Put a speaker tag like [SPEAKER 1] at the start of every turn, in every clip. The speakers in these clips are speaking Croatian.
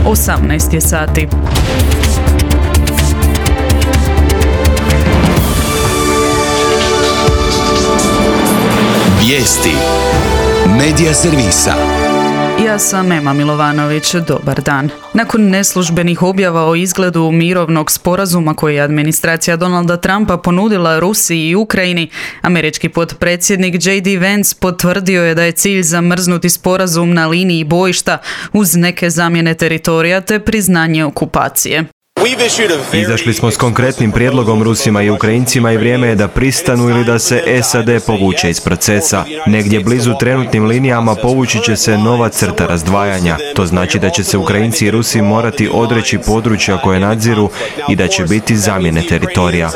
[SPEAKER 1] 18 je sati.
[SPEAKER 2] Vijesti Medija servisa.
[SPEAKER 1] Ja sam Ema Milovanović, dobar dan. Nakon neslužbenih objava o izgledu mirovnog sporazuma koji je administracija Donalda Trumpa ponudila Rusiji i Ukrajini, američki potpredsjednik J.D. Vance potvrdio je da je cilj zamrznuti sporazum na liniji bojišta uz neke zamjene teritorija te priznanje okupacije.
[SPEAKER 3] Izašli smo s konkretnim prijedlogom Rusima i Ukrajincima i vrijeme je da pristanu ili da se SAD povuče iz procesa. Negdje blizu trenutnim linijama povući će se nova crta razdvajanja. To znači da će se Ukrajinci i Rusi morati odreći područja koje nadziru i da će biti zamjene teritorija.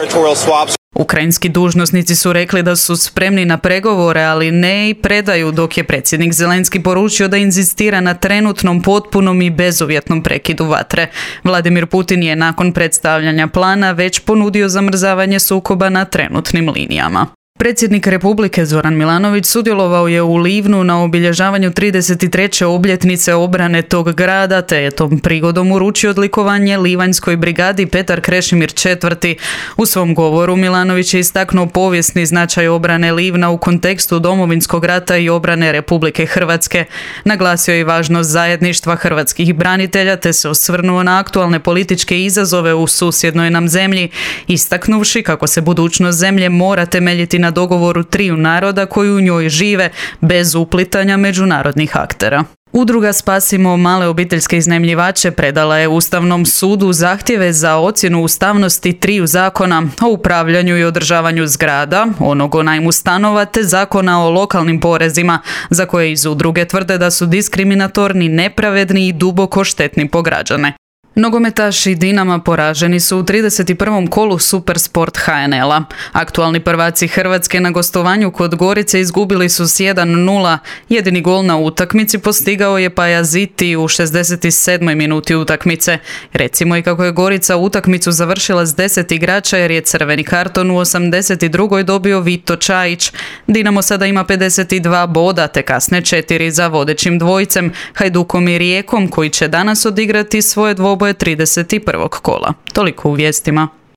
[SPEAKER 1] Ukrajinski dužnosnici su rekli da su spremni na pregovore, ali ne i predaju, dok je predsjednik Zelenski poručio da inzistira na trenutnom, potpunom i bezuvjetnom prekidu vatre. Vladimir Putin je nakon predstavljanja plana već ponudio zamrzavanje sukoba na trenutnim linijama. Predsjednik Republike Zoran Milanović sudjelovao je u Livnu na obilježavanju 33. obljetnice obrane tog grada, te je tom prigodom uručio odlikovanje Livanjskoj brigadi Petar Krešimir IV. U svom govoru Milanović je istaknuo povijesni značaj obrane Livna u kontekstu Domovinskog rata i obrane Republike Hrvatske. Naglasio je i važnost zajedništva hrvatskih branitelja, te se osvrnuo na aktualne političke izazove u susjednoj nam zemlji, istaknuvši kako se budućnost zemlje mora temeljiti na dogovoru triju naroda koji u njoj žive bez uplitanja međunarodnih aktera. Udruga Spasimo male obiteljske iznajmljivače predala je Ustavnom sudu zahtjeve za ocjenu ustavnosti triju zakona o upravljanju i održavanju zgrada, onog o najmu stanova te zakona o lokalnim porezima, za koje iz udruge tvrde da su diskriminatorni, nepravedni i duboko štetni po građane. Nogometaši Dinama poraženi su u 31. kolu Supersport HNL-a. Aktualni prvaci Hrvatske na gostovanju kod Gorice izgubili su s 1:0. Jedini gol na utakmici postigao je Pajaziti u 67. minuti utakmice. Recimo i kako je Gorica utakmicu završila s 10 igrača jer je crveni karton u 82. dobio Vito Čajić. Dinamo sada ima 52 boda te kasne 4 za vodećim dvojicem, Hajdukom i Rijekom, koji će danas odigrati svoje dvoboje 31. kola. Toliko u vijestima.